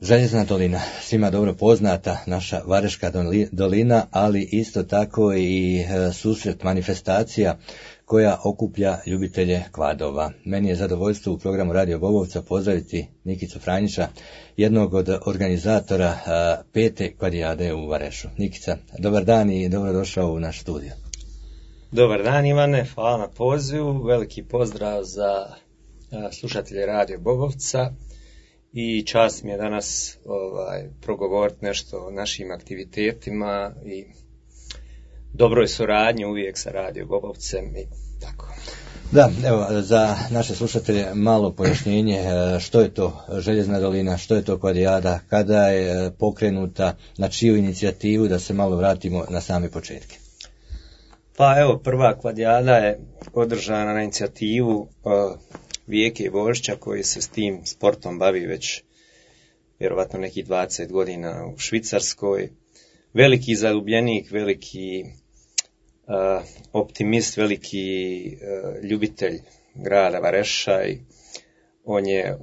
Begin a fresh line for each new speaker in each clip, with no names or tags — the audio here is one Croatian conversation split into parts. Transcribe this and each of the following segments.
Željezna dolina, svima dobro poznata, naša Vareška dolina, ali isto tako i susret manifestacija koja okuplja ljubitelje kvadova. Meni je zadovoljstvo u programu Radio Bobovca pozdraviti Nikicu Franjića, jednog od organizatora 5. kvadrijade u Varešu. Nikica, dobar dan i dobrodošao u naš studio.
Dobar dan Ivane, hvala na pozivu, veliki pozdrav za slušatelje Radio Bobovca i čast mi je danas progovoriti nešto o našim aktivitetima i dobroj suradnji uvijek sa Radio Bobovcem i tako.
Da, evo, za naše slušatelje malo pojašnjenje što je to Željezna dolina, što je to kvadrijada, kada je pokrenuta, na čiju inicijativu, da se malo vratimo na same početke.
Pa evo, prva kvadrijada je održana na inicijativu Vijeke Božića koji se s tim sportom bavi već vjerovatno nekih 20 godina u Švicarskoj. Veliki zaljubljenik, veliki optimist, veliki ljubitelj grada Vareša i on je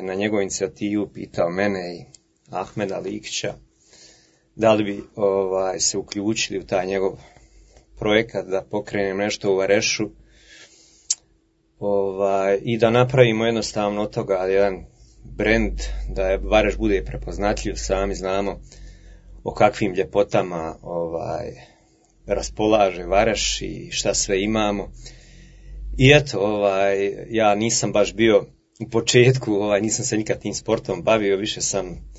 na njegovu inicijativu pitao mene i Ahmeda Likića da li bi se uključili u taj njegov projekat da pokrenem nešto u Varešu i da napravimo jednostavno od toga jedan brend, da Vareš bude prepoznatljiv. Sami znamo o kakvim ljepotama raspolaže Vareš i šta sve imamo. I eto, ja nisam baš bio u početku, nisam se nikad tim sportom bavio, više sam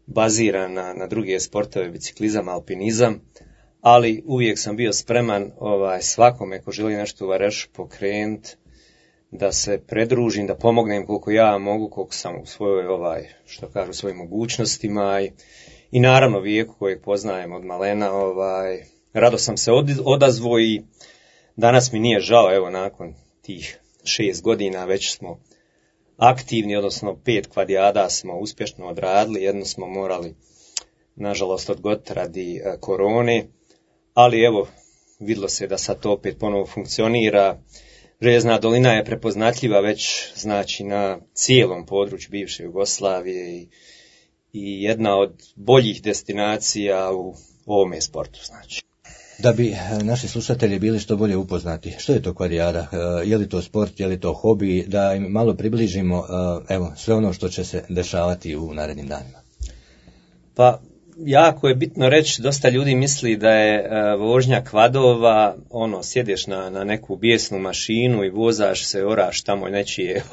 baziran na druge sportove, biciklizam, alpinizam, ali uvijek sam bio spreman svakome ko želi nešto u Varešu pokrenuti, da se predružim, da pomognem koliko ja mogu, koliko sam u svojoj, što kažu, svojim mogućnostima i naravno Vijeku kojeg poznajem od malena, rado sam se odazvao i danas mi nije žao, evo nakon tih 6 godina već smo aktivni, odnosno 5 kvadrijada smo uspješno odradili, jednu smo morali nažalost odgoditi radi korone, ali evo vidjelo se da sad to opet ponovo funkcionira. Željezna dolina je prepoznatljiva već znači na cijelom području bivše Jugoslavije i jedna od boljih destinacija u ovome sportu znači.
Da bi naši slušatelji bili što bolje upoznati, što je to kvadrijada, je li to sport, je li to hobi, da im malo približimo sve ono što će se dešavati u narednim danima.
Pa jako je bitno reći, dosta ljudi misli da je vožnja kvadova, sjedeš na neku bijesnu mašinu i vozaš se, oraš tamo nečije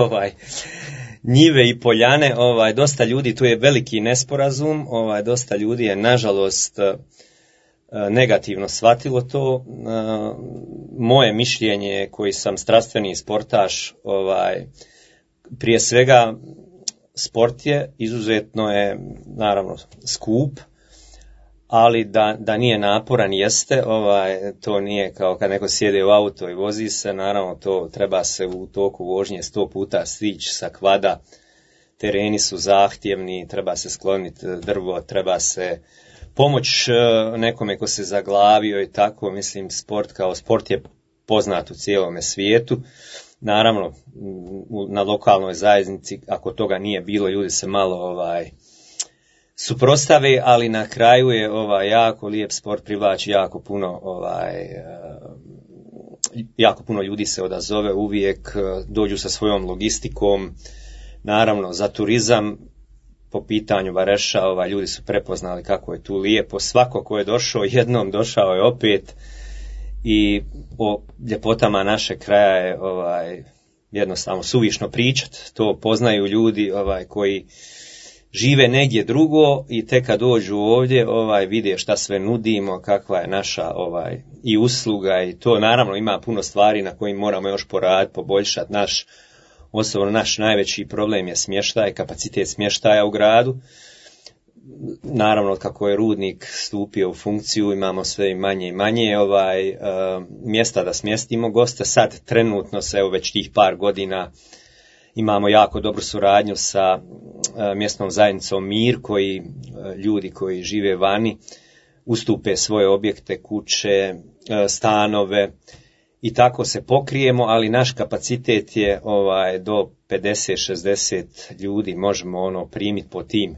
njive i poljane, dosta ljudi, tu je veliki nesporazum, dosta ljudi je nažalost negativno shvatilo to. Moje mišljenje koji sam strastveni sportaš, prije svega sport je, izuzetno je naravno skup, ali da nije naporan jeste, to nije kao kad neko sjede u auto i vozi se, naravno to treba se u toku vožnje 100 puta stići sa kvada, tereni su zahtjevni, treba se skloniti drvo, treba se pomoć nekome ko se zaglavio i tako, mislim sport kao sport je poznat u cijelome svijetu. Naravno, na lokalnoj zajednici, ako toga nije bilo, ljudi se malo suprotstave, ali na kraju je jako lijep sport, privlači jako puno ljudi se odazove, uvijek dođu sa svojom logistikom. Naravno, za turizam po pitanju Vareša, ljudi su prepoznali kako je tu lijepo. Svako ko je došao jednom, došao je opet i o ljepotama našeg kraja je jednostavno suvišno pričati. To poznaju ljudi koji žive negdje drugo i tek kad dođu ovdje vide šta sve nudimo, kakva je naša i usluga i to. Naravno ima puno stvari na kojim moramo još poraditi, poboljšati. Osobno naš najveći problem je smještaj, kapacitet smještaja u gradu. Naravno kako je rudnik stupio u funkciju imamo sve manje i manje mjesta da smjestimo goste. Sad trenutno se već tih par godina imamo jako dobru suradnju sa mjesnom zajednicom Mir, koji ljudi koji žive vani ustupe svoje objekte, kuće, stanove i tako se pokrijemo, ali naš kapacitet je do 50-60 ljudi možemo primiti po tim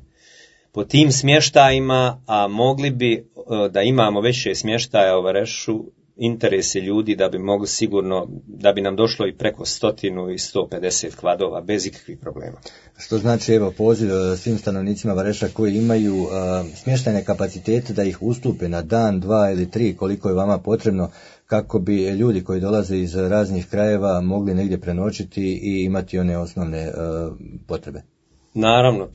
po tim smještajima, a mogli bi da imamo veće smještaja u Varešu, interes je ljudi da bi mogli sigurno, da bi nam došlo i preko 100 i 150 kvadova bez ikakvih problema.
Što znači, evo, poziv svim stanovnicima Vareša koji imaju smještajne kapacitete da ih ustupe na dan, 2 ili 3, koliko je vama potrebno, kako bi ljudi koji dolaze iz raznih krajeva mogli negdje prenoćiti i imati one osnovne potrebe.
Naravno,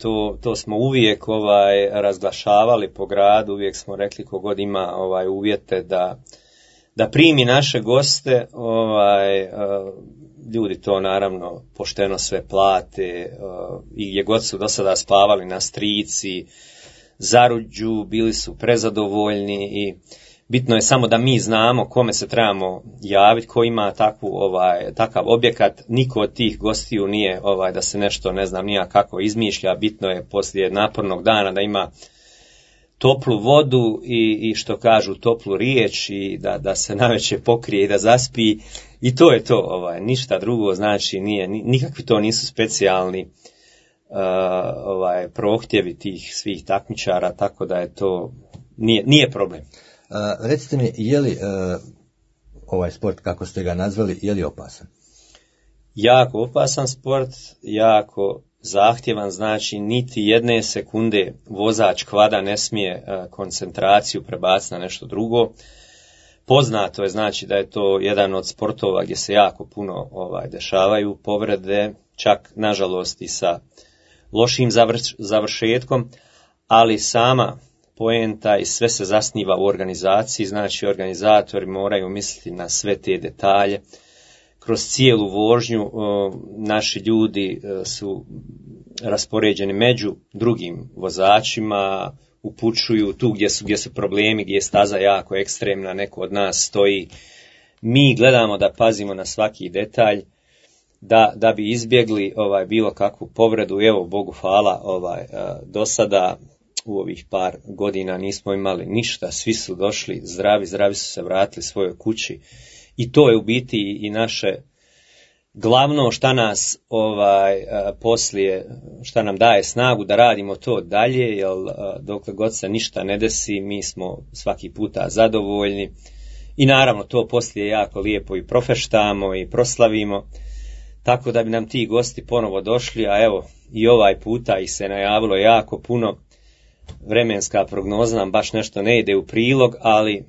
to smo uvijek razglašavali po gradu, uvijek smo rekli kogod ima uvjete da primi naše goste, ljudi to naravno pošteno sve plate, i gdje god su do sada spavali na Strici, Zaruđu, bili su prezadovoljni i bitno je samo da mi znamo kome se trebamo javiti, ko ima takav objekat. Niko od tih gostiju nije da se nešto ne znam nija kako izmišlja, bitno je poslije napornog dana da ima toplu vodu i što kažu toplu riječ i da se navečer pokrije i da zaspi i to je to, ništa drugo, znači nikakvi to nisu specijalni prohtjevi tih svih takmičara, tako da je to nije problem.
Recite mi, je li ovaj sport, kako ste ga nazvali, je li opasan?
Jako opasan sport, jako zahtjevan, znači niti jedne sekunde vozač kvada ne smije koncentraciju prebaciti na nešto drugo. Poznato je znači da je to jedan od sportova gdje se jako puno dešavaju povrede, čak nažalost i sa lošim završetkom, ali sama poenta i sve se zasniva u organizaciji, znači organizatori moraju misliti na sve te detalje. Kroz cijelu vožnju naši ljudi su raspoređeni među drugim vozačima, upućuju tu gdje su problemi, gdje je staza jako ekstremna, neko od nas stoji. Mi gledamo da pazimo na svaki detalj, da bi izbjegli bilo kakvu povredu. Evo, Bogu hvala, do sada u ovih par godina nismo imali ništa, svi su došli zdravi su se vratili svojoj kući. I to je u biti i naše glavno šta nas poslije, šta nam daje snagu da radimo to dalje, jer dokle god se ništa ne desi, mi smo svaki puta zadovoljni. I naravno to poslije jako lijepo i profeštamo i proslavimo, tako da bi nam ti gosti ponovo došli, a evo i ovaj puta ih se najavilo jako puno. Vremenska prognoza nam baš nešto ne ide u prilog, ali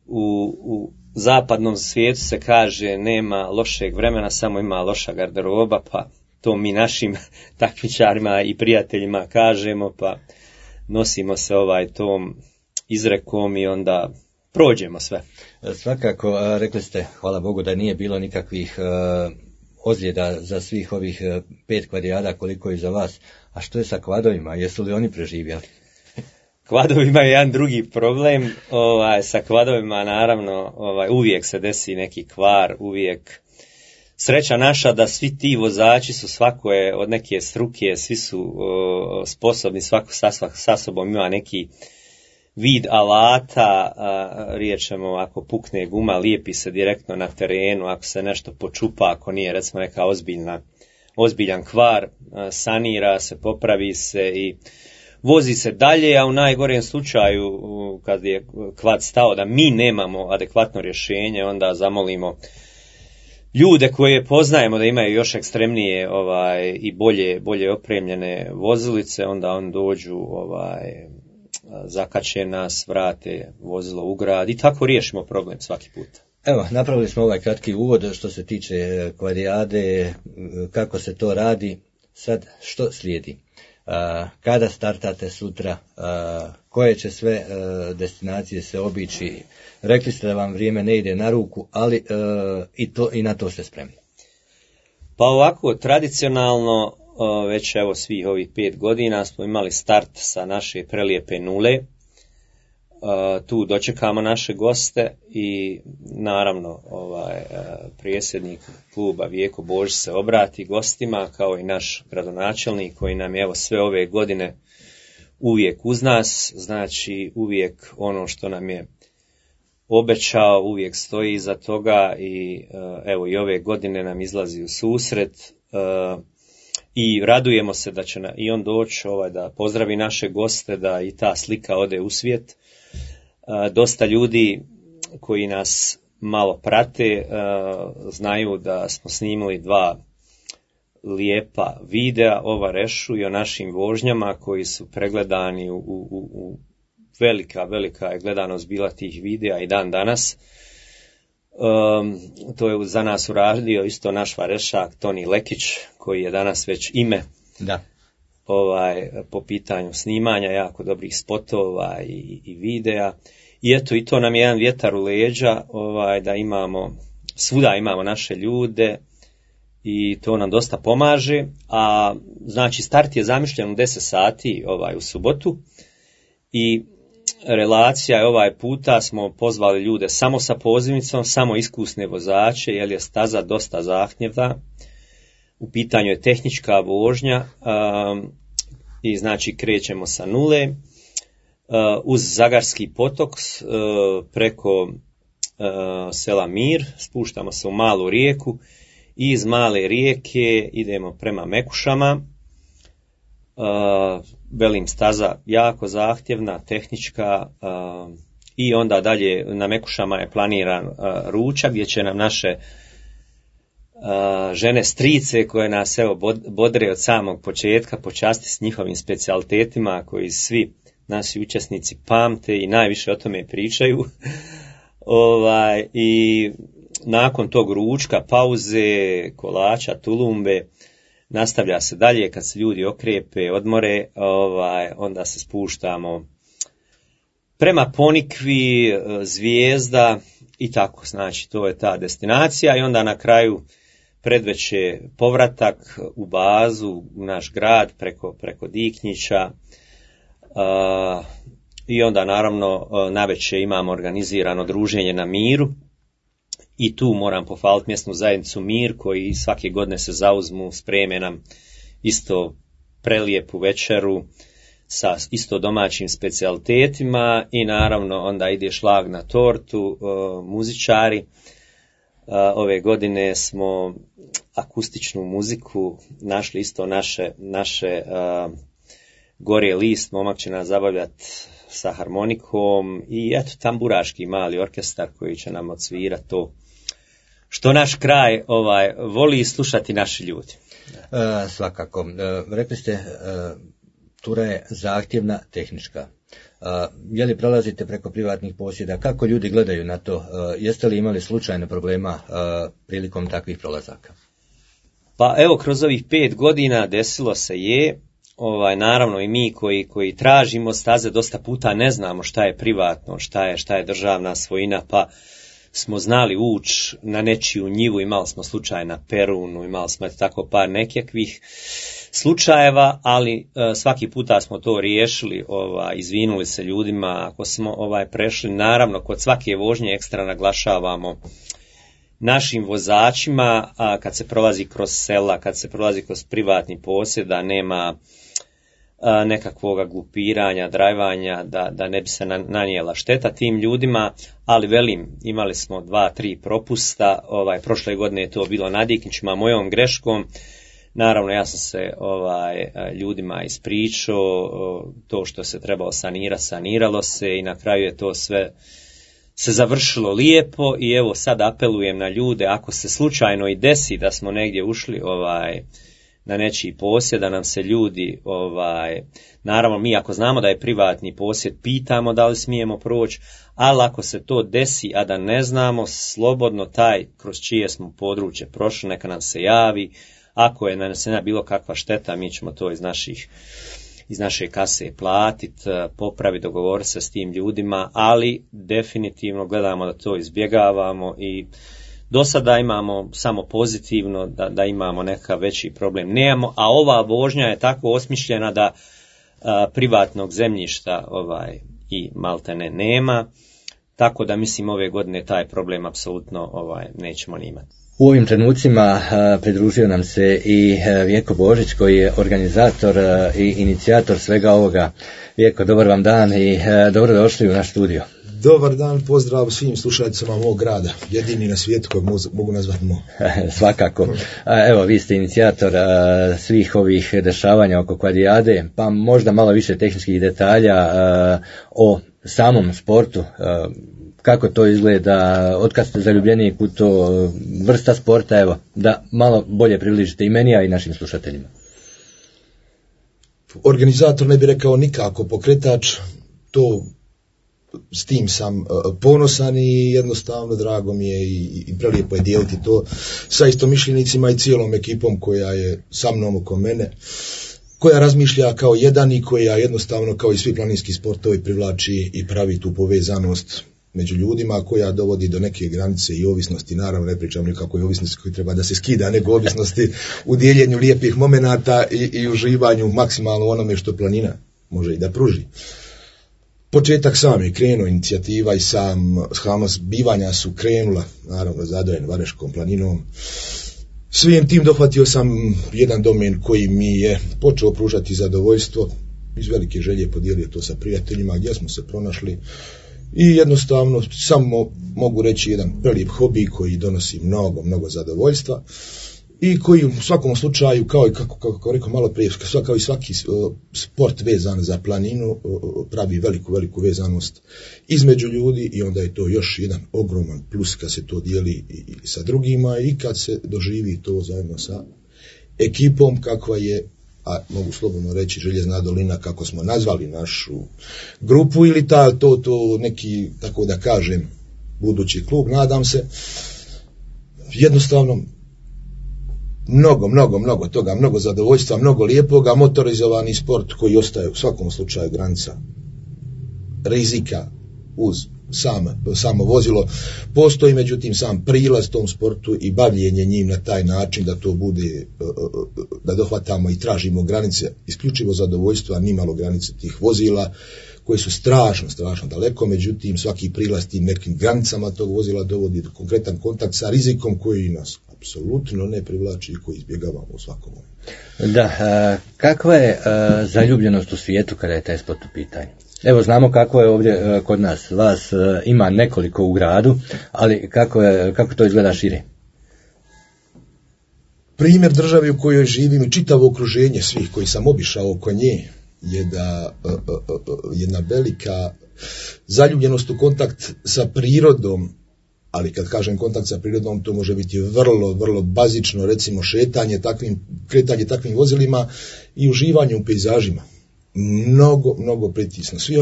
u zapadnom svijetu se kaže nema lošeg vremena, samo ima loša garderoba, pa to mi našim takmičarima i prijateljima kažemo, pa nosimo se tom izrekom i onda prođemo sve.
Svakako, rekli ste, hvala Bogu, da nije bilo nikakvih ozljeda za svih ovih 5 kvadrijada koliko je za vas. A što je sa kvadovima? Jesu li oni preživjeli?
Kvadovima je jedan drugi problem. Sa kvadovima naravno uvijek se desi neki kvar, uvijek. Sreća naša da svi ti vozači su, svako je od neke struke, svi su sposobni, svako sa sobom ima neki vid alata, riječemo ako pukne guma, lijepi se direktno na terenu, ako se nešto počupa, ako nije recimo neka ozbiljan kvar, sanira se, popravi se i vozi se dalje, a u najgorem slučaju kad je kvad stao da mi nemamo adekvatno rješenje, onda zamolimo ljude koje poznajemo da imaju još ekstremnije i bolje opremljene vozilice, onda on dođu, zakače nas, vrate vozilo u grad i tako riješimo problem svaki put.
Evo, napravili smo ovaj kratki uvod što se tiče kvadrijade, kako se to radi. Sad, što slijedi? Kada startate sutra? Koje će sve destinacije se obići? Rekli ste da vam vrijeme ne ide na ruku, ali i na to ste spremni.
Pa ovako, tradicionalno, već evo svih ovih 5 godina smo imali start sa naše prelijepe Nule. Tu dočekamo naše goste i naravno predsjednik kluba Vijeko Božić se obrati gostima kao i naš gradonačelnik koji nam je evo sve ove godine uvijek uz nas, znači uvijek ono što nam je obećao uvijek stoji iza toga i evo i ove godine nam izlazi u susret. i radujemo se da će i on doći da pozdravi naše goste, da i ta slika ode u svijet. Dosta ljudi koji nas malo prate znaju da smo snimili 2 lijepa videa o Varešu i o našim vožnjama koji su pregledani u velika je gledanost bila tih videa i dan danas. To je za nas uradio isto naš varešak Toni Lekić, koji je danas već ime po pitanju snimanja jako dobrih spotova i videa. I eto, i to nam je jedan vjetar u leđa, da svuda imamo naše ljude i to nam dosta pomaže. A znači start je zamišljen u 10 sati u subotu i relacija je puta smo pozvali ljude samo sa pozivnicom, samo iskusne vozače, jer je staza dosta zahtjevna. U pitanju je tehnička vožnja i znači krećemo sa nule uz Zagarski potok preko sela Mir, spuštamo se u malu rijeku i iz male rijeke idemo prema Mekušama. Velim, staza jako zahtjevna, tehnička, i onda dalje na Mekušama je planiran ručak gdje će nam naše žene strice koje nas bodre od samog početka počasti s njihovim specijalitetima koji svi naši učesnici pamte i najviše o tome pričaju. I nakon tog ručka, pauze, kolača, tulumbe, nastavlja se dalje kad se ljudi okrepe, odmore, onda se spuštamo prema Ponikvi, Zvijezda i tako, znači to je ta destinacija i onda na kraju predveče povratak u bazu, u naš grad preko Diknjića i onda naravno navečer imamo organizirano druženje na Miru. I tu moram pohvaliti mjesnu zajednicu Mir koji svake godine se zauzmu, spreme nam isto prelijepu večeru sa isto domaćim specijalitetima i naravno onda ide šlag na tortu, muzičari. Ove godine smo akustičnu muziku našli isto naše Gorje List, momak će nas zabavljati sa harmonikom i eto tamburaški mali orkestar koji će nam odsvirati to što naš kraj voli slušati naši ljudi.
Svakako. Rekli ste, tura je zahtjevna, tehnička. Je li prolazite preko privatnih posjeda? Kako ljudi gledaju na to? Jeste li imali slučajno problema prilikom takvih prolazaka?
Pa evo, kroz ovih 5 godina desilo se je. Naravno i mi koji tražimo staze dosta puta ne znamo šta je privatno, šta je državna svojina, pa smo znali ući na nečiju njivu, imali smo slučaj na Perunu, imali smo tako par nekakvih slučajeva, ali svaki puta smo to riješili, izvinuli se ljudima ako smo prešli. Naravno, kod svake vožnje ekstra naglašavamo našim vozačima, kad se prolazi kroz sela, kad se prolazi kroz privatni posjed, da nema nekakvoga glupiranja, drajvanja, da ne bi se nanijela šteta tim ljudima, ali velim, imali smo 2-3 propusta, prošle godine je to bilo na Diknićima mojom greškom, naravno ja sam se ljudima ispričao, to što se trebalo sanirati, saniralo se i na kraju je to sve se završilo lijepo i evo sad apelujem na ljude, ako se slučajno i desi da smo negdje ušli na nečiji posjed, da nam se ljudi, naravno mi ako znamo da je privatni posjed, pitamo da li smijemo proći, ali ako se to desi, a da ne znamo, slobodno taj kroz čije smo područje prošli, neka nam se javi, ako je nanesena bilo kakva šteta, mi ćemo to iz naše kase platiti, popraviti, dogovoriti se s tim ljudima, ali definitivno gledamo da to izbjegavamo i do sada imamo samo pozitivno, da imamo neka veći problem nemamo, a ova vožnja je tako osmišljena da privatnog zemljišta i maltene nema, tako da mislim ove godine taj problem apsolutno nećemo ni imati.
U ovim trenucima pridružio nam se i Vjeko Božić koji je organizator i inicijator svega ovoga. Vjeko, dobar vam dan i dobro došli u naš studio.
Dobar dan, pozdrav svim slušalicama mog grada, jedini na svijetu kojeg mogu nazvati moj.
Svakako. Evo, vi ste inicijator svih ovih dešavanja oko Kvadrijade, pa možda malo više tehničkih detalja o samom sportu. Kako to izgleda, otkad ste zaljubljeni u to, vrsta sporta, evo, da malo bolje približite i meni, a i našim slušateljima.
Organizator ne bi rekao nikako, pokretač, to s tim sam ponosan i jednostavno drago mi je i prelijepo je dijeliti to sa istomišljenicima i cijelom ekipom koja je sa mnom oko mene, koja razmišlja kao jedan i koja jednostavno kao i svi planinski sportovi privlači i pravi tu povezanost među ljudima, koja dovodi do neke granice i ovisnosti. Naravno ne pričam nikakvoj ovisnosti koji treba da se skida, nego ovisnosti u dijeljenju lijepih momenata i uživanju maksimalno onome što planina može i da pruži. Početak sam je krenuo, inicijativa i sama zbivanja su krenula, naravno zadojen Vareškom planinom. Svim tim dohvatio sam jedan domen koji mi je počeo pružati zadovoljstvo, iz velike želje podijelio to sa prijateljima gdje smo se pronašli i jednostavno samo mogu reći jedan prelijep hobi koji donosi mnogo zadovoljstva i koji u svakom slučaju, kao i kako rekao malo prije, kao i svaki sport vezan za planinu, pravi veliku vezanost između ljudi i onda je to još jedan ogroman plus kad se to dijeli i sa drugima i kad se doživi to zajedno sa ekipom kakva je, a mogu slobodno reći, Željezna dolina, kako smo nazvali našu grupu, ili to neki, tako da kažem, budući klub, nadam se. Jednostavno mnogo toga, mnogo zadovoljstva, mnogo lijepoga, motorizovani sport koji ostaje u svakom slučaju granica rizika uz samo vozilo. Postoji međutim sam prilaz tom sportu i bavljenje njim na taj način da to bude, da dohvatamo i tražimo granice isključivo zadovoljstva, nimalo granice tih vozila koje su strašno daleko, međutim svaki prilaz tim nekim granicama tog vozila dovodi do konkretan kontakt sa rizikom koji nas apsolutno ne privlači i koji izbjegavamo u svakom momentu.
Da, kakva je zaljubljenost u svijetu kada je taj sport u pitanju? Evo, znamo kako je ovdje kod nas, vas ima nekoliko u gradu, ali kako to izgleda šire?
Primjer države u kojoj živim i čitavo okruženje svih koji sam obišao oko nje je da jedna velika zaljubljenost u kontakt sa prirodom, ali kad kažem kontakt sa prirodom, to može biti vrlo bazično, recimo kretanje takvim vozilima i uživanje u pejzažima. Mnogo pritisno, svi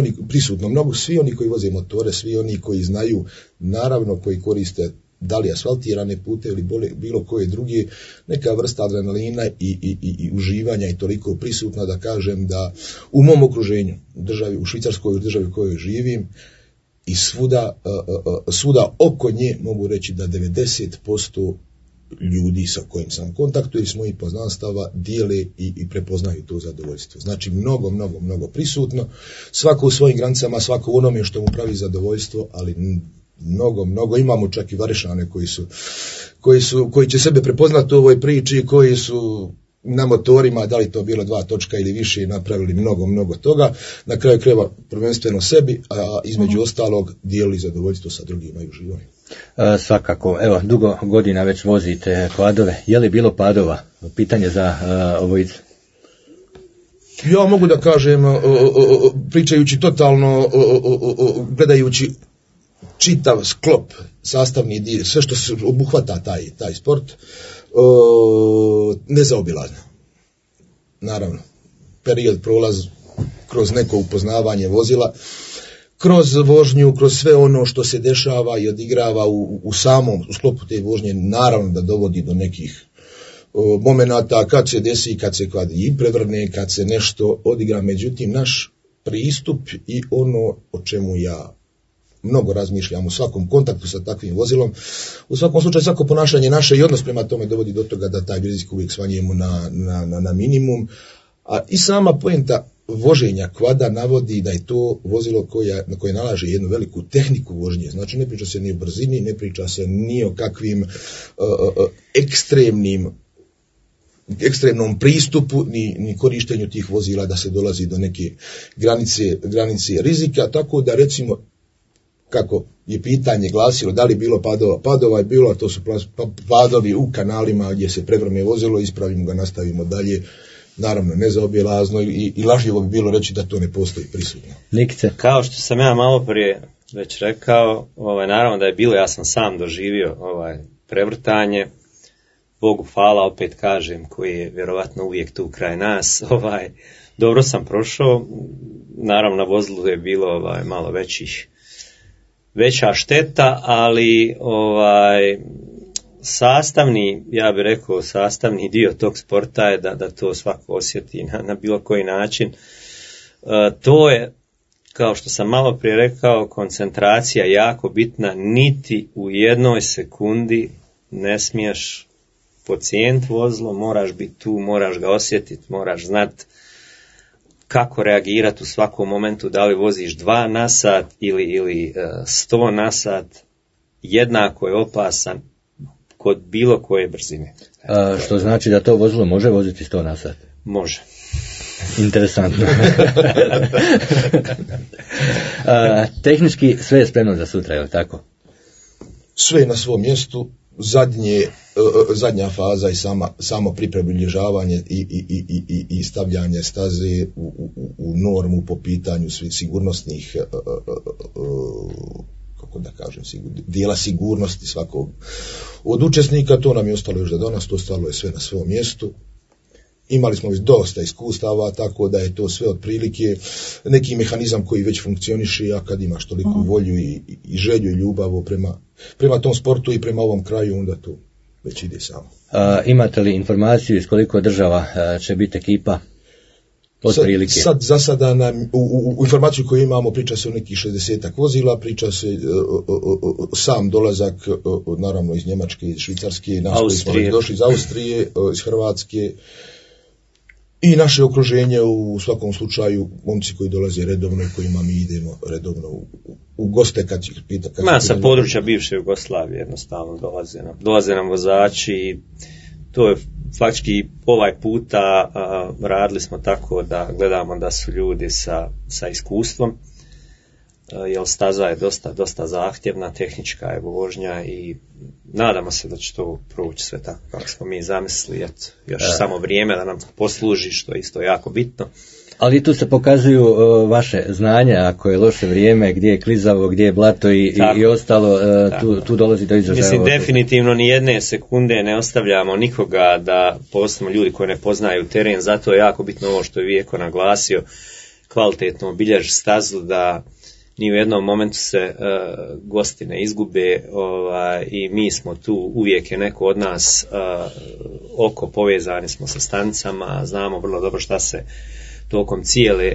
oni koji voze motore, svi oni koji znaju, naravno koji koriste da li asfaltirane pute ili bilo koje druge, neka vrsta adrenalina i uživanja i toliko prisutna da kažem da u mom okruženju, u Švicarskoj, državi u kojoj živim, i svuda oko nje mogu reći da 90% ljudi sa kojim sam u kontaktu ili s mojih poznanstava dijele i prepoznaju to zadovoljstvo. Znači mnogo prisutno, svako u svojim granicama, svako u onome što mu pravi zadovoljstvo, ali mnogo imamo čak i Varešane koji će sebe prepoznati u ovoj priči, koji su na motorima, da li to bilo 2 točka ili više, napravili mnogo toga, na kraju krajeva prvenstveno sebi, a između ostalog dijelili zadovoljstvo sa drugima i uživanje.
Svakako, evo, dugo godina već vozite kvadove, je li bilo padova? Pitanje za obojicu.
Ja mogu da kažem, pričajući totalno, gledajući čitav sklop, sastavni dio, sve što se obuhvata taj sport, nezaobilazno. Naravno, period prolaz kroz neko upoznavanje vozila, kroz vožnju, kroz sve ono što se dešava i odigrava u sklopu te vožnje, naravno da dovodi do nekih momenata kad se desi, kad i prevrne, kad se nešto odigra. Međutim, naš pristup i ono o čemu ja mnogo razmišljam u svakom kontaktu sa takvim vozilom, u svakom slučaju svako ponašanje naše i odnos prema tome dovodi do toga da taj rizik uvijek smanjujemo na minimum, a i sama poenta voženja kvada navodi da je to vozilo na koje nalaže jednu veliku tehniku vožnje. Znači ne priča se ni o brzini, ne priča se ni o kakvim ekstremnom pristupu, ni korištenju tih vozila da se dolazi do neke granice rizika, tako da recimo kako je pitanje glasilo, da li bilo padova? Padova je bilo, a to su padovi u kanalima gdje se prevrme vozilo, ispravimo ga, nastavimo dalje. Naravno, nezaobilazno i lažljivo bi bilo reći da to ne postoji prisutno.
Nikice?
Kao što sam ja malo prije već rekao, naravno da je bilo, ja sam sam doživio prevrtanje, Bogu hvala, opet kažem, koji je vjerovatno uvijek tu kraj nas, dobro sam prošao, naravno na vozilu je bilo malo veća šteta, ali ja bih rekao sastavni dio tog sporta je da to svako osjeti na bilo koji način. To je, kao što sam malo prije rekao, koncentracija jako bitna, niti u jednoj sekundi ne smiješ podcijeniti vozilo, moraš biti tu, moraš ga osjetiti, moraš znati kako reagirati u svakom momentu, da li voziš 2 na sat ili 100 na sat, jednako je opasan kod bilo koje brzine.
Što znači da to vozilo može voziti 100 na sat?
Može.
Interesantno. Tehnički sve je spremno za sutra, je li tako?
Sve je na svom mjestu. Zadnja faza i samo pripremlježavanje i stavljanje staze u normu po pitanju sigurnosnih, kako da kažem, dijela sigurnosti svakog od učesnika. To nam je ostalo još do danas, to stalo je sve na svom mjestu. Imali smo već dosta iskustava, tako da je to sve otprilike neki mehanizam koji već funkcioniše, a kad imaš toliko volju i želju i ljubav prema tom sportu i prema ovom kraju, onda to već ide samo.
Imate li informaciju iz koliko država će biti ekipa?
Sad za sada nam, u informaciju koju imamo, priča se o nekih 60 vozila, priča se sam dolazak, naravno iz Njemačke, iz Švicarske, nas koji smo došli iz Austrije, iz Hrvatske, i naše okruženje u svakom slučaju, momci koji dolaze redovno i kojima mi idemo redovno u goste kad ih pita.
Sa područja bivše Jugoslavije jednostavno dolaze nam vozači. To je faktički ovaj puta radili smo tako da gledamo da su ljudi sa iskustvom, jer staza je dosta zahtjevna, tehnička je vožnja i nadamo se da će to proći sve tako kako smo mi zamislili, još samo vrijeme da nam posluži, što je isto jako bitno.
Ali tu se pokazuju vaše znanja, ako je loše vrijeme, gdje je klizavo, gdje je blato i ostalo, tu dolazi do izražaja.
Mislim, definitivno ni jedne sekunde ne ostavljamo nikoga da posebno ljudi koji ne poznaju teren, zato je jako bitno ovo što je Vijeko naglasio, kvalitetno obilježi stazu, da ni u jednom momentu se gosti ne izgube, i mi smo tu, uvijek je neko od nas oko povezani smo sa stanicama, znamo vrlo dobro šta se tokom cijele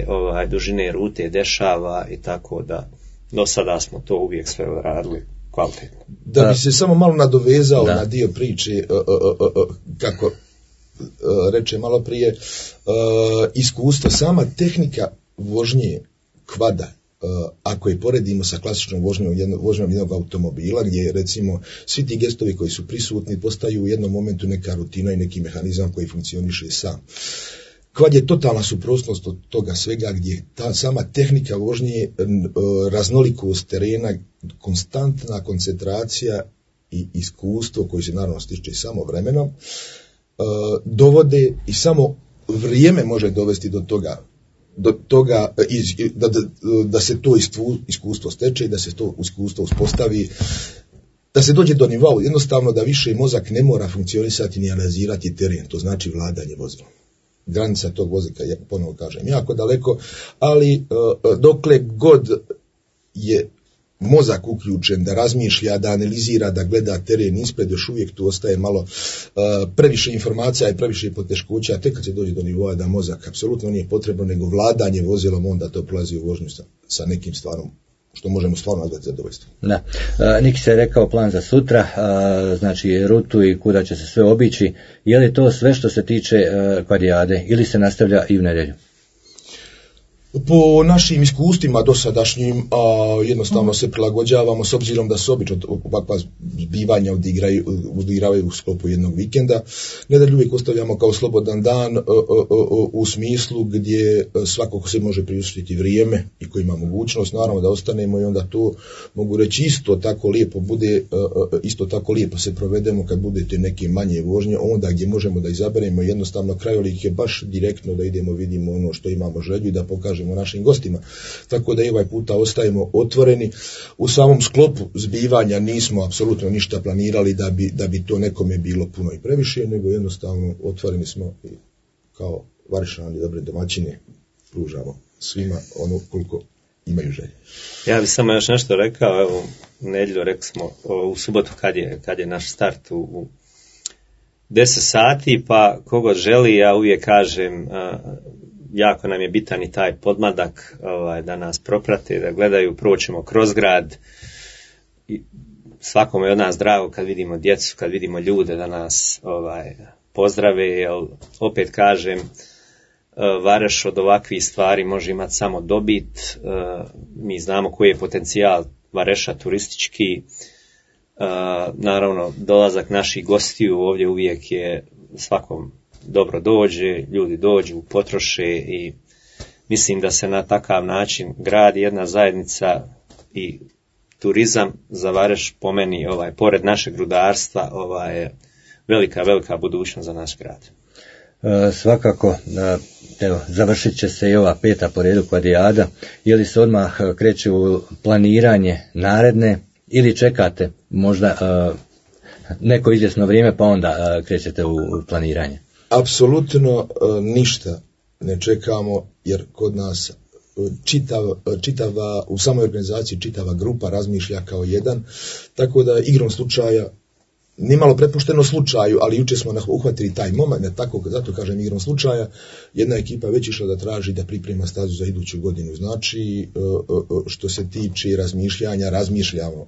dužine rute dešava, i tako da do sada smo to uvijek sve radili kvalitetno.
Da bi se samo malo nadovezao na dio priče, kako reče malo prije, iskustvo, sama tehnika vožnje kvada, ako je poredimo sa klasičnom vožnjom jednog automobila, gdje recimo svi ti gestovi koji su prisutni postaju u jednom momentu neka rutina i neki mehanizam koji funkcioniše sam. Kvad je totalna suprotnost od toga svega, gdje ta sama tehnika vožnje, raznolikost terena, konstantna koncentracija i iskustvo koji se naravno stiče samo vremenom, dovode, i samo vrijeme može dovesti do toga da se to iskustvo steče i da se to iskustvo uspostavi, da se dođe do nivoa, jednostavno da više mozak ne mora funkcionisati ni analizirati teren, to znači vladanje vozilom. Granica tog vozika, ja ponovo kažem, jako daleko, ali dokle god je mozak uključen da razmišlja, da analizira, da gleda teren ispred, još uvijek tu ostaje malo previše informacija i previše poteškoća, tek kad se dođe do nivoa da mozak apsolutno nije potrebno, nego vladanje vozilom, onda to prolazi u vožnju sa nekim stvarom što možemo stvarno nazvati zadovoljstvo.
Da. Niki se je rekao plan za sutra, znači rutu i kuda će se sve obići. Je li to sve što se tiče kvadrijade ili se nastavlja i u nedjelju?
Po našim iskustvima dosadašnjim, jednostavno se prilagođavamo s obzirom da se obično ovakva zbivanja odigravaju u sklopu jednog vikenda. Nedjelju uvijek ostavljamo kao slobodan dan u smislu gdje svako ko se može priuštiti vrijeme i ko ima mogućnost, naravno da ostanemo i onda to mogu reći isto tako lijepo se provedemo kad budete neke manje vožnje, onda gdje možemo da izaberemo jednostavno krajolik je baš direktno da idemo, vidimo ono što imamo želju i da pokažemo našim gostima. Tako da i ovaj puta ostajemo otvoreni. U samom sklopu zbivanja nismo apsolutno ništa planirali da bi to nekome bilo puno i previše, nego jednostavno otvoreni smo i kao Varišani dobre domaćine pružamo svima ono koliko imaju želje.
Ja bih samo još nešto rekao, evo u nedjelju rekli smo u subotu kad je naš start u 10 sati, pa kogo želi, ja uvijek kažem jako nam je bitan i taj podmladak da nas proprate, da gledaju, proćemo kroz grad. I svakome je od nas drago kad vidimo djecu, kad vidimo ljude da nas pozdrave, jer opet kažem, Vareš od ovakvih stvari može imati samo dobit. Mi znamo koji je potencijal Vareša turistički. Naravno, dolazak naših gostiju ovdje uvijek je svakom dobro dođe, ljudi dođu, potroše i mislim da se na takav način gradi jedna zajednica i turizam za Vareš po meni, pored našeg rudarstva, je velika budućnost za naš grad.
Svakako, evo, završit će se i ova 5. po redu kvadrijada. Je li se odmah kreće u planiranje naredne ili čekate možda neko izvjesno vrijeme pa onda krećete u planiranje?
Apsolutno ništa ne čekamo, jer kod nas čitava, u samoj organizaciji čitava grupa razmišlja kao jedan, tako da igrom slučaja, nimalo prepušteno slučaju, ali jučer smo uhvatili taj moment, zato kažem igrom slučaja, jedna ekipa već išla da traži da priprema stazu za iduću godinu. Znači, što se tiče razmišljanja, razmišljamo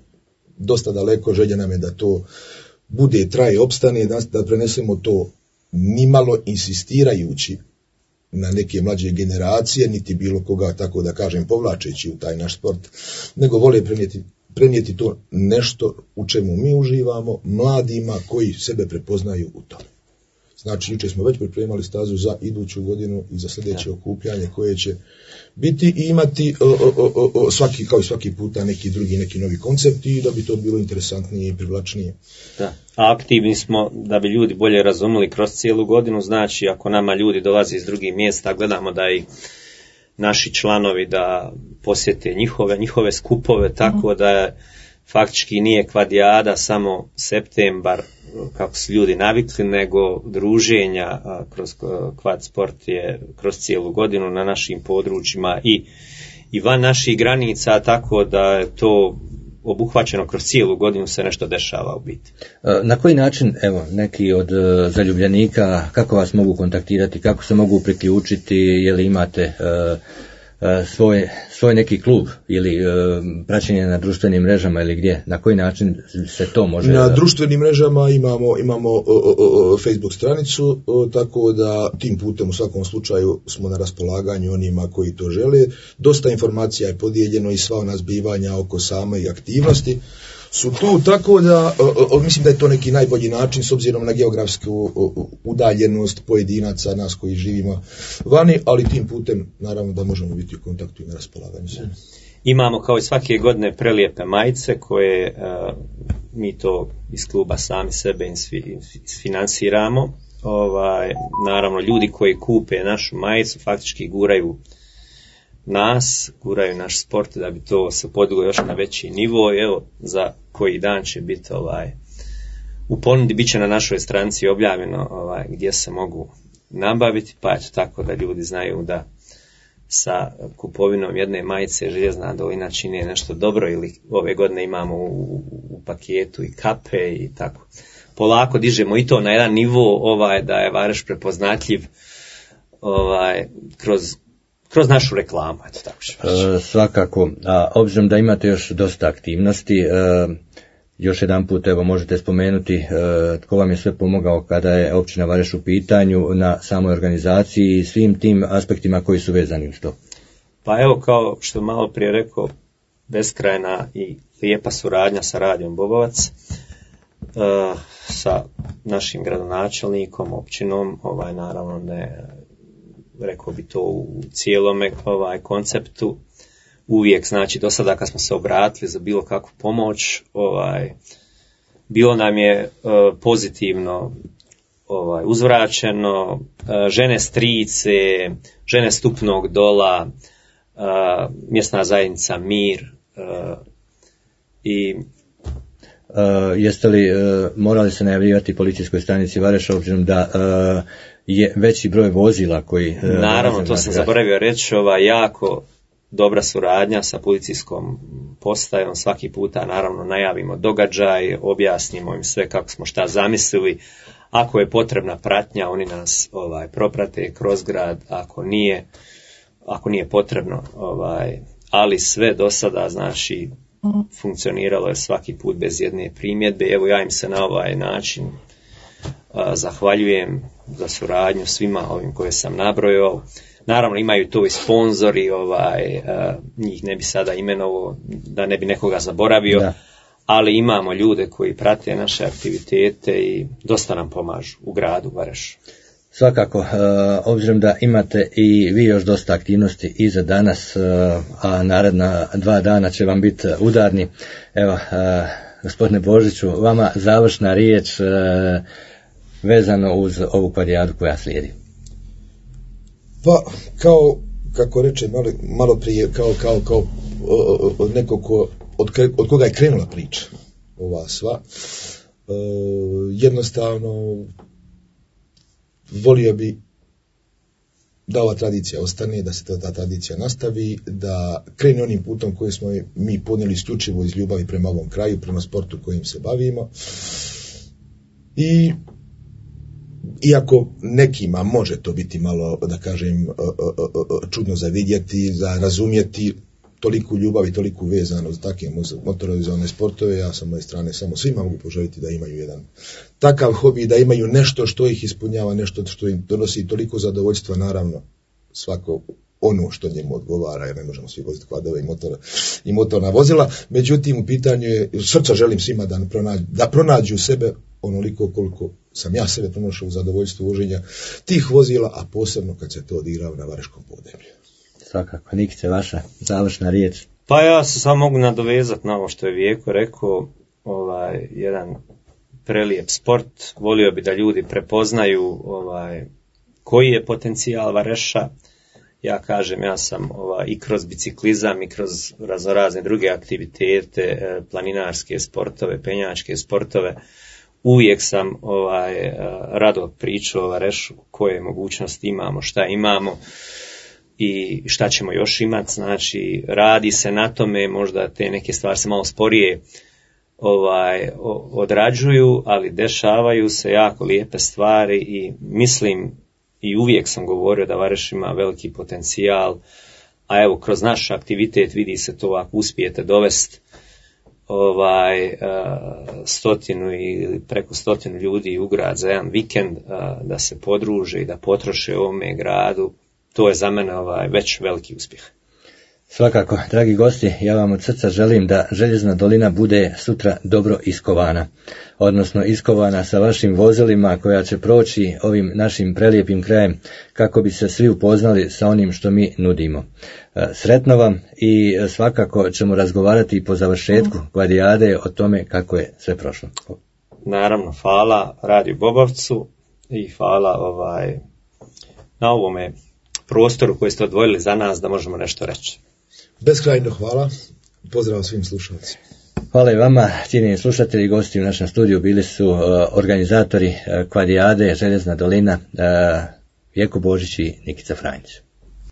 dosta daleko, želja nam je da to bude, traje, opstane, da prenesemo to nimalo insistirajući na neke mlađe generacije, niti bilo koga, tako da kažem, povlačeći u taj naš sport, nego vole prenijeti to nešto u čemu mi uživamo, mladima koji sebe prepoznaju u tome. Znači, jučer smo već pripremali stazu za iduću godinu i za sljedeće okupljanje koje će biti i imati kao i svaki puta neki drugi, neki novi koncept i da bi to bilo interesantnije i privlačnije.
Da. Aktivni smo da bi ljudi bolje razumjeli kroz cijelu godinu, znači ako nama ljudi dolaze iz drugih mjesta, gledamo da i naši članovi da posjete njihove skupove, tako da faktički nije kvadrijada samo septembar kako su ljudi navikli, nego druženja kroz kvad sport je kroz cijelu godinu na našim područjima i van naših granica, tako da je to obuhvaćeno kroz cijelu godinu, se nešto dešava u biti.
Na koji način, evo, neki od zaljubljenika, kako vas mogu kontaktirati, kako se mogu priključiti, je li imate svoj neki klub ili praćenje na društvenim mrežama ili gdje, na koji način se to može?
Na društvenim mrežama imamo Facebook stranicu, tako da tim putem u svakom slučaju smo na raspolaganju onima koji to žele. Dosta informacija je podijeljeno i sva ona zbivanja oko same aktivnosti su tu, tako da mislim da je to neki najbolji način s obzirom na geografsku udaljenost pojedinaca, nas koji živimo vani, ali tim putem naravno da možemo biti u kontaktu i na raspolaganju.
Imamo kao i svake godine prelijepe majice koje mi to iz kluba sami sebe isfinansiramo. Naravno, ljudi koji kupe našu majicu faktički guraju naš sport da bi to se podiglo još na veći nivo. Evo, za koji dan će biti u ponudi, bit će na našoj stranici objavljeno gdje se mogu nabaviti, pa eto tako da ljudi znaju da sa kupovinom jedne majice Željezna dolina čini nešto dobro, ili ove godine imamo u paketu i kape i tako. Polako dižemo i to na jedan nivo da je Vareš prepoznatljiv kroz našu reklamu, eto tako što
svakako, obzirom da imate još dosta aktivnosti, još jedan put evo možete spomenuti tko vam je sve pomogao kada je općina Vareš u pitanju na samoj organizaciji i svim tim aspektima koji su vezani uz to.
Pa evo, kao što malo prije rekao, beskrajna i lijepa suradnja sa Radijom Bobovac, sa našim gradonačelnikom, općinom, naravno ne, rekao bi to u cijelome konceptu, uvijek, znači do sada kad smo se obratili za bilo kakvu pomoć, bilo nam je pozitivno uzvraćeno, žene Strice, žene Stupnog Dola, mjesna zajednica Mir i
jeste li morali se najavljivati policijskoj stanici Vareša, obzirom da je veći broj vozila koji...
Naravno, to sam zaboravio reći, jako dobra suradnja sa policijskom postajom, svaki puta naravno najavimo događaj, objasnimo im sve kako smo šta zamislili, ako je potrebna pratnja, oni nas proprate kroz grad, ako nije potrebno, ali sve do sada, znači, funkcioniralo je svaki put bez jedne primjedbe. Evo, ja im se na ovaj način zahvaljujem za suradnju svima ovim koje sam nabrojao. Naravno, imaju to i sponzori, njih ne bi sada imenovao da ne bi nekoga zaboravio, da. Ali imamo ljude koji prate naše aktivitete i dosta nam pomažu u gradu Varešu.
Svakako, obzirom da imate i vi još dosta aktivnosti i za danas, a naredna 2 dana će vam biti udarni. Evo, gospodine Božiću, vama završna riječ vezano uz ovu kvadrijadu koja slijedi.
Pa, kako reče malo prije, kao od nekog od koga je krenula priča ova sva, jednostavno volio bi da ova tradicija ostane, da se ta tradicija nastavi, da krene onim putom koji smo mi ponijeli isključivo iz ljubavi prema ovom kraju, prema sportu kojim se bavimo. I iako nekima može to biti malo, da kažem, čudno za vidjeti, za razumjeti, toliku ljubav i toliku vezano za takve motorizovane sportove, ja sa moje strane samo svima mogu poželjeti da imaju jedan takav hobi, da imaju nešto što ih ispunjava, nešto što im donosi toliko zadovoljstva, naravno svako ono što njemu odgovara, jer ne možemo svi voziti kvadove i motorna vozila. Međutim, u pitanju je, srca želim svima da pronađu sebe onoliko koliko sam ja sebe pronašao u zadovoljstvu voženja tih vozila, a posebno kad se to odigrava na vareškom podneblju.
Svakako, Nikice, vaša završna riječ.
Pa ja se samo mogu nadovezati na ovo što je Vijeko rekao, jedan prelijep sport. Volio bi da ljudi prepoznaju koji je potencijal Vareša. Ja kažem, ja sam i kroz biciklizam i kroz razne druge aktivitete, planinarske sportove, penjačke sportove, uvijek sam rado pričao o Varešu, koje mogućnosti imamo, šta imamo i šta ćemo još imati. Znači, radi se na tome, možda te neke stvari se malo sporije odrađuju, ali dešavaju se jako lijepe stvari i mislim i uvijek sam govorio da Vareš ima veliki potencijal, a evo kroz naš aktivitet vidi se to ako uspijete dovesti 100 ili preko 100 ljudi u grad za jedan vikend, da se podruže i da potroše u ovome gradu, to je za mene već veliki uspjeh.
Svakako, dragi gosti, ja vam od srca želim da Željezna dolina bude sutra dobro iskovana, odnosno iskovana sa vašim vozilima koja će proći ovim našim prelijepim krajem kako bi se svi upoznali sa onim što mi nudimo. Sretno vam i svakako ćemo razgovarati po završetku kvadrijade o tome kako je sve prošlo.
Naravno, hvala Radiju Bobovcu i hvala na ovome prostoru koji ste odvojili za nas da možemo nešto reći.
Beskrajno hvala, pozdrav svim slušalcima.
Hvala i vama, cijenjeni slušatelji, gosti u našem studiju bili su organizatori kvadrijade Željezna dolina, Vijeko Božić i Nikica Franjić.